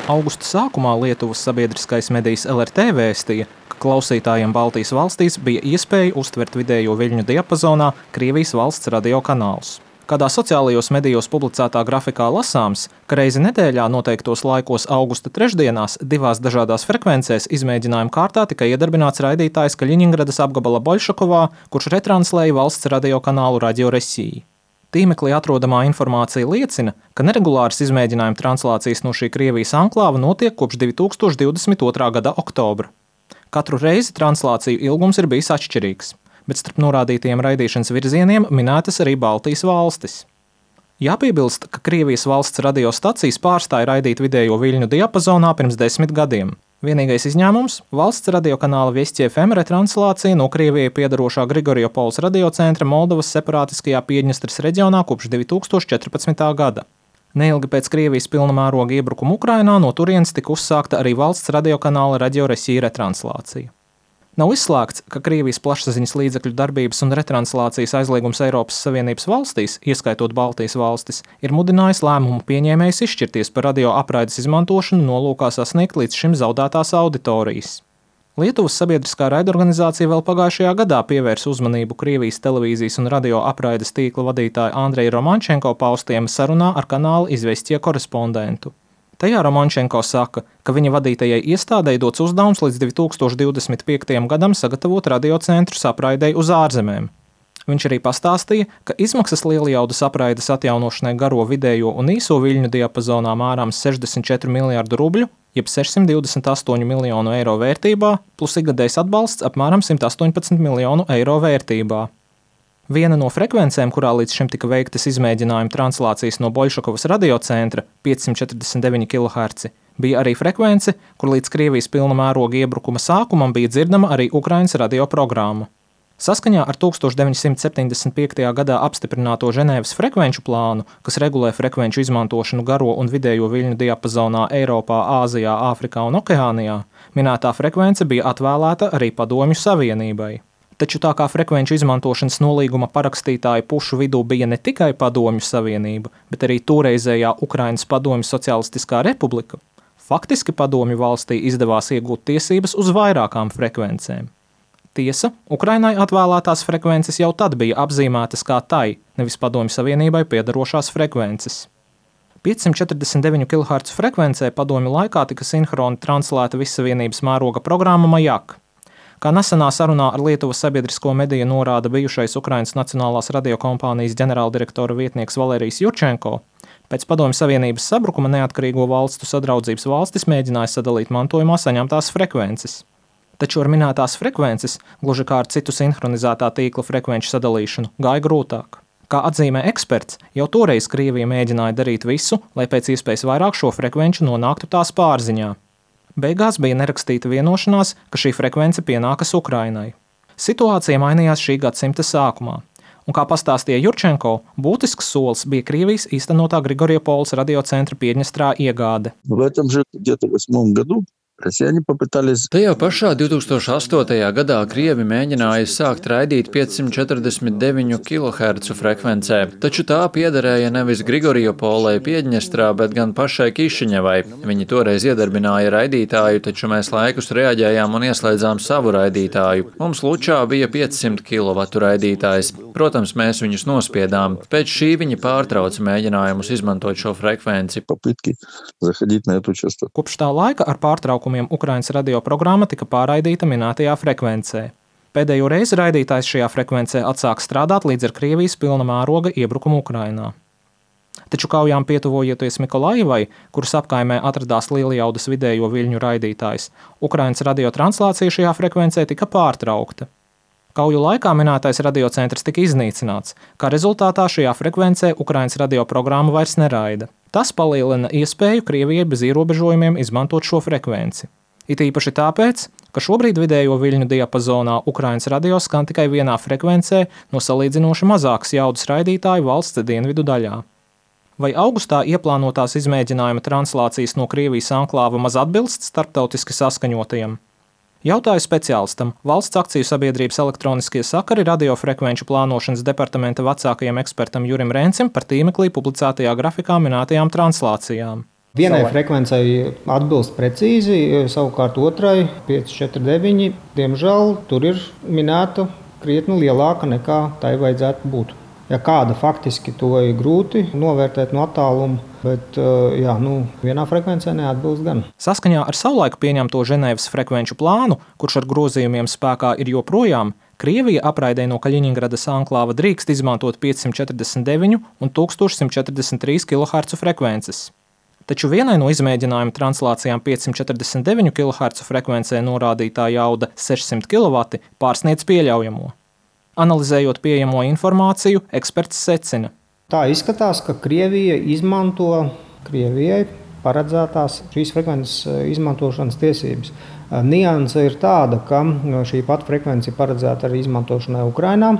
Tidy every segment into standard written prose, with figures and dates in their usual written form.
Augusta sākumā Lietuvas sabiedriskais medijs LRT vēstīja, ka klausītājiem Baltijas valstīs bija iespēja uztvert vidējo viļņu diapazonā Krievijas valsts radio kanālus. Kādā sociālajos medijos publicētā grafikā lasāms, ka reizi nedēļā noteiktos laikos augusta trešdienās divās dažādās frekvencēs izmēģinājuma kārtā tika iedarbināts raidītājs Kaļiņingradas apgabala Boļšakovā, kurš retranslēja valsts radio kanālu Radio Resija. Tīmeklī atrodamā informācija liecina, ka neregulāras izmēģinājuma translācijas no šī Krievijas anklāva notiek kopš 2022. gada oktobra. Katru reizi translāciju ilgums ir bijis atšķirīgs, bet starp norādītajiem raidīšanas virzieniem minētas arī Baltijas valstis. Jāpiebilst, ka Krievijas valsts radiostacijas pārstāja raidīt vidējo viļņu diapazonā pirms 10 gadiem. Vienīgais izņēmums – valsts radiokanāla Viests FM retranslācija no Krievijai piedarošā Grigoriopols radiocentra Moldovas separātiskajā Piedņestras reģionā kopš 2014. gada. Neilgi pēc Krievijas pilna mēroga iebrukuma Ukrainā no turienes tika uzsākta arī valsts radiokanāla Radio Resija retranslācija. Nav izslēgts, ka Krievijas plašsaziņas līdzekļu darbības un retranslācijas aizliegums Eiropas Savienības valstīs, ieskaitot Baltijas valstis, ir mudinājis lēmumu pieņēmējus izšķirties par radio apraides izmantošanu nolūkā sasniegt līdz šim zaudētās auditorijas. Lietuvas sabiedriskā raidorganizācija vēl pagājušajā gadā pievērsa uzmanību Krievijas televīzijas un radio apraides tīkla vadītāja Andreja Romančenko paustiem sarunā ar kanāla Izvestie korespondentu. Tajā Romančenko saka, ka viņa vadītajai iestādei dots uzdevums līdz 2025. gadam sagatavot radiocentrus apraidei uz ārzemēm. Viņš arī pastāstīja, ka izmaksas lielijaudas apraides atjaunošanai garo vidējo un īso viļņu diapazonā mērāms 64 miljārdu rubļu, jeb 628 miljonu eiro vērtībā, plus ikgadējs atbalsts apmēram 118 miljonu eiro vērtībā. Viena no frekvencēm, kurā līdz šim tika veiktas izmēģinājuma translācijas no Boļšakovas radiocentra 549 kHz, bija arī frekvence, kur līdz Krievijas pilna mēroga iebrukuma sākumam bija dzirdama arī Ukrainas radioprogramma. Saskaņā ar 1975. gadā apstiprināto Ženēvas frekvenču plānu, kas regulē frekvenču izmantošanu garo un vidējo viļņu diapazonā Eiropā, Āzijā, Āfrikā un Okeānijā, minētā frekvence bija atvēlēta arī Padomju Savienībai. Taču tā kā frekvenču izmantošanas nolīguma parakstītāju pušu vidū bija ne tikai Padomju Savienība, bet arī toreizējā Ukrainas Padomju Socialistiskā republika, faktiski Padomju valstī izdevās iegūt tiesības uz vairākām frekvencēm. Tiesa, Ukrainai atvēlētās frekvences jau tad bija apzīmētas kā tai, nevis Padomju Savienībai piedarošās frekvences. 549 kHz frekvencē Padomju laikā tika sinhroni translēta vissavienības mēroga programma Majak. Kā nesenā sarunā ar Lietuvas sabiedrisko mediju norāda bijušais Ukrainas Nacionālās radiokompānijas ģenerāldirektora vietnieks Valērijas Jurčenko, pēc Padomju Savienības sabrukuma neatkarīgo valstu sadraudzības valstis mēģināja sadalīt mantojumā saņemtās frekvences. Taču ar minētās frekvences, gluži kā ar citu sinhronizētā tīkla frekvenču sadalīšanu, gāja grūtāk. Kā atzīmē eksperts, jau toreiz Krievija mēģināja darīt visu, lai pēc iespējas vairāk šo frekvenču nonāktu tās pārziņā. Beigās bija nerakstīta vienošanās, ka šī frekvence pienākas Ukrainai. Situācija mainījās šī gadsimta sākumā. Un kā pastāstīja Jurčenko, būtisks solis bija Krievijas īstenotā Grigoriopols radiocentra Piedņestrā iegāde. Tajā pašā 2008. gadā Krievi mēģināja sākt raidīt 549 kHz frekvencē, taču tā piederēja nevis Grigoriopolai Piedņestrā, bet gan pašai Kišiņevai. Viņi toreiz iedarbināja raidītāju, taču mēs laikus reaģējām un ieslēdzām savu raidītāju. Mums Lučā bija 500 kW raidītājs. Protams, mēs viņus nospiedām. Pēc šī viņi pārtrauca mēģinājumus izmantot šo frekvenci. Kopš tā laika ar pārtraukumiem Ukrainas radioprogramma tika pārraidīta minētajā frekvencē. Pēdējo reizi raidītājs šajā frekvencē atsāk strādāt līdz ar Krievijas pilna mēroga iebrukumu Ukrainā. Taču kaujām pietuvojoties Mikolajivai, kuras apkaimē atradās lielijaudas vidējo viļņu raidītājs, Ukrainas radiotranslācija šajā frekvencē tika pārtraukta. Kauju laikā minētais radiocentrs tika iznīcināts, kā rezultātā šajā frekvencē Ukrainas radioprogramma vairs neraida. Tas palielina iespēju Krievijai bez ierobežojumiem izmantot šo frekvenci. It īpaši tāpēc, ka šobrīd vidējo viļņu diapazonā Ukrainas radio skan tikai vienā frekvencē no salīdzinoši mazākas jaudas raidītāju valsts dienvidu daļā. Vai augustā ieplānotās izmēģinājuma translācijas no Krievijas anklāva maz atbilst starptautiski saskaņotajam? Jautāju speciālistam, valsts akciju sabiedrības elektroniskie sakari radiofrekvenču plānošanas departamenta vecākajam ekspertam Jurim Rencim par tīmeklī publicētajā grafikā minētajām translācijām. Vienai frekvencei atbilst precīzi, savukārt otrai 549. Diemžēl tur ir minēta krietni lielāka nekā tai vajadzētu būt. Ja kāda faktiski to ir grūti novērtēt no attāluma, bet vienā frekvencē neatbilst gan. Saskaņā ar savulaik pieņemto Ženēvas frekvenču plānu, kurš ar grozījumiem spēkā ir joprojām, Krievija apraidē no Kaļiņingradas anklāva drīkst izmantot 549 un 1143 kHz frekvences. Taču vienai no izmēģinājuma translācijām 549 kHz frekvencē norādītā jauda 600 kW pārsniedz pieļaujamo. Analizējot pieejamo informāciju, eksperts secina. Tā izskatās, ka Krievija izmanto Krievijai paredzētās šīs frekvences izmantošanas tiesības. Nianse ir tāda, ka šī pati frekvence ir paredzēta arī izmantošanai Ukrainā.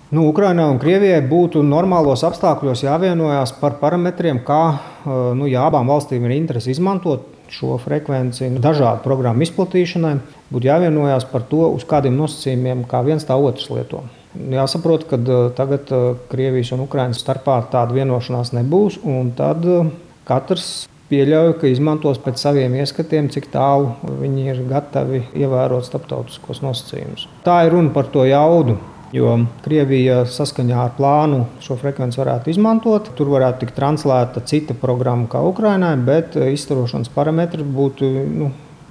Ukrainai un Krievijai būtu normālos apstākļos jāvienojās par parametriem, kā abām valstīm ir interese izmantot šo frekvenci dažādu programmu izplatīšanai, būtu jāvienojās par to, uz kādiem nosacījumiem kā viens tā otrs lieto. Jāsaprot, ka tagad Krievijas un Ukrainas starpā tāda vienošanās nebūs, un tad katrs pieļauj, ka izmantos pēc saviem ieskatiem, cik tālu viņi ir gatavi ievērot starptautiskos nosacījumus. Tā ir runa par to jaudu. Jo Krievija saskaņā ar plānu šo frekvenci varētu izmantot. Tur varētu tikt translēta cita programma kā Ukrainai, bet izstarošanas parametri būtu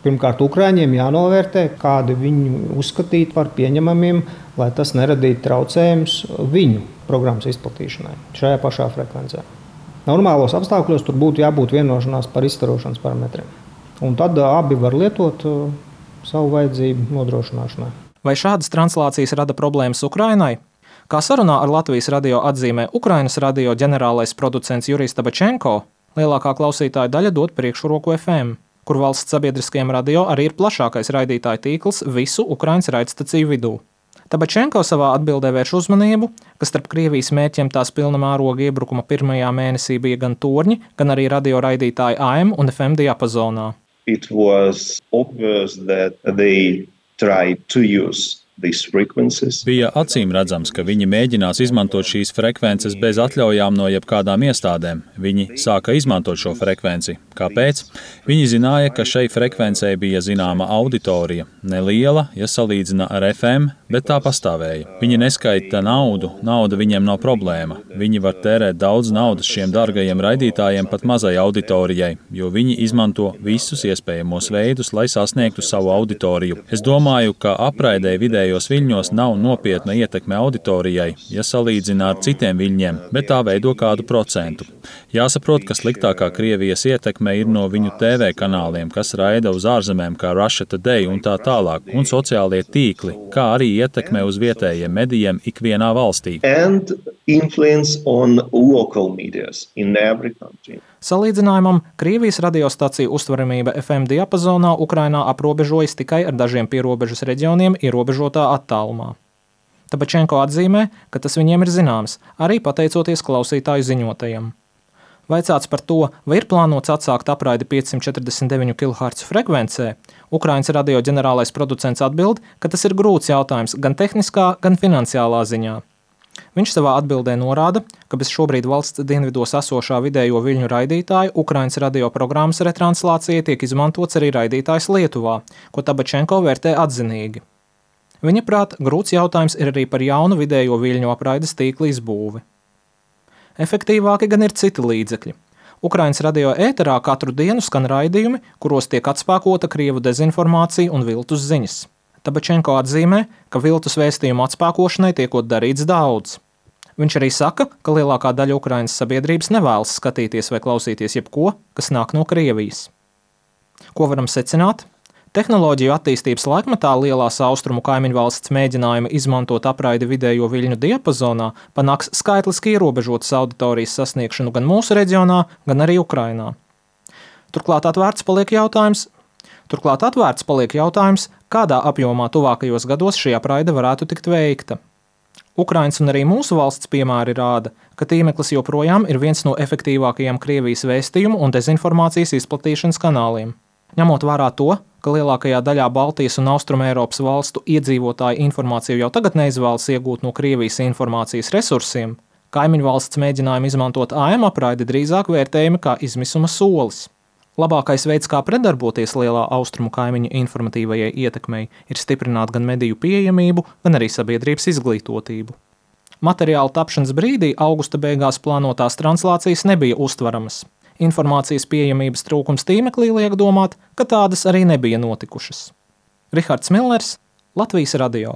pirmkārt Ukraiņiem jānovērtē, kādi viņi uzskatītu par pieņemamiem, lai tas neradītu traucējumus viņu programmas izplatīšanai šajā pašā frekvencē. Normālos apstākļos tur būtu jābūt vienošanās par izstarošanas parametriem. Un tad abi var lietot savu vajadzību nodrošināšanai. Vai šādas translācijas rada problēmas Ukrainai? Kā sarunā ar Latvijas radio atzīmē Ukrainas radio ģenerālais producents Jurijs Tabačenko, lielākā klausītāja daļa dod priekšroku FM, kur valsts sabiedriskajiem radio arī ir plašākais raidītāju tīkls visu Ukrainas raidstaciju vidū. Tabačenko savā atbildē vērš uzmanību, ka starp Krievijas mērķiem tās pilna mēroga iebrukuma pirmajā mēnesī bija gan torņi, gan arī radio raidītāji AM un FM diapazonā. It was obvious that they tried to use these frequencies. Bija acīm redzams, ka viņi mēģinās izmantot šīs frekvences bez atļaujām no jebkādām iestādēm. Viņi sāka izmantot šo frekvenci. Kāpēc? Viņi zināja, ka šai frekvencei bija zināma auditorija. Neliela, ja salīdzina ar FM, bet tā pastāvēja. Viņi neskaita naudu, nauda viņiem nav problēma. Viņi var tērēt daudz naudas šiem dārgajiem raidītājiem pat mazai auditorijai, jo viņi izmanto visus iespējamos veidus, lai sasniegtu savu auditoriju. Es domāju, ka apraidē vidējos viļņos nav nopietna ietekme auditorijai, ja salīdzina ar citiem viļņiem, bet tā veido kādu procentu. Jāsaprot, ka sliktākā Krievijas ietekme ir no viņu TV kanāliem, kas raida uz ārzemēm kā Russia Today un tā tālāk, un sociālie tīkli, kā arī ietekme uz vietējiem medijiem ikvienā valstī. And influence on local medias in every country. Salīdzinājumam, Krievijas radiostaciju uztveramība FM diapazonā Ukrainā aprobežojas tikai ar dažiem pierobežas reģioniem ierobežotā attālumā. Tabačenko atzīmē, ka tas viņiem ir zināms, arī pateicoties klausītāju ziņotajam. Vaicāts par to, vai ir plānots atsākt apraidi 549 kHz frekvencē, Ukrainas radio ģenerālais producents atbild, ka tas ir grūts jautājums gan tehniskā, gan finansiālā ziņā. Viņš savā atbildē norāda, ka bez šobrīd valsts dienvidos esošā vidējo viļņu raidītāja Ukrainas radio programmas retranslācijai tiek izmantots arī raidītājs Lietuvā, ko Tabačenko vērtē atzinīgi. Viņa prāt, grūts jautājums ir arī par jaunu vidējo viļņu apraides tīkla izbūvi. Efektīvāki gan ir citi līdzekļi. Ukrainas radio ēterā katru dienu skan raidījumi, kuros tiek atspēkota krievu dezinformācija un viltus ziņas. Tabačenko atzīmē, ka viltus vēstījumu atspēkošanai tiekot darīts daudz. Viņš arī saka, ka lielākā daļa Ukrainas sabiedrības nevēlas skatīties vai klausīties jebko, kas nāk no Krievijas. Ko varam secināt? Tehnoloģiju attīstības laikmetā lielās austrumu kaimiņvalsts mēģinājumi izmantot apraidi vidējo viļņu diapazonā panāks skaitliski ierobežotas auditorijas sasniegšanu gan mūsu reģionā, gan arī Ukrainā. Turklāt atvērts paliek jautājums, kādā apjomā tuvākajos gados šī apraide varētu tikt veikta. Ukrainas un arī mūsu valsts piemēri rāda, ka tīmeklis joprojām ir viens no efektīvākajiem Krievijas vēstījumu un dezinformācijas izplatīšanas kanāliem. Ņemot vērā to, ka lielākajā daļā Baltijas un Austrumēropas valstu iedzīvotāji informāciju jau tagad neizvēlas iegūt no Krievijas informācijas resursiem, Kaimiņu valsts mēģinājumi izmantot AM apraidi drīzāk vērtējami kā izmisuma solis. Labākais veids, kā predarboties lielā austrumu kaimiņu informatīvajai ietekmei, ir stiprināt gan mediju pieejamību, gan arī sabiedrības izglītotību. Materiāla tapšanas brīdī augusta beigās plānotās translācijas nebija uztvaramas. Informācijas pieejamības trūkums tīmeklī liek domāt, ka tādas arī nebija notikušas. Rihards Millers, Latvijas radio.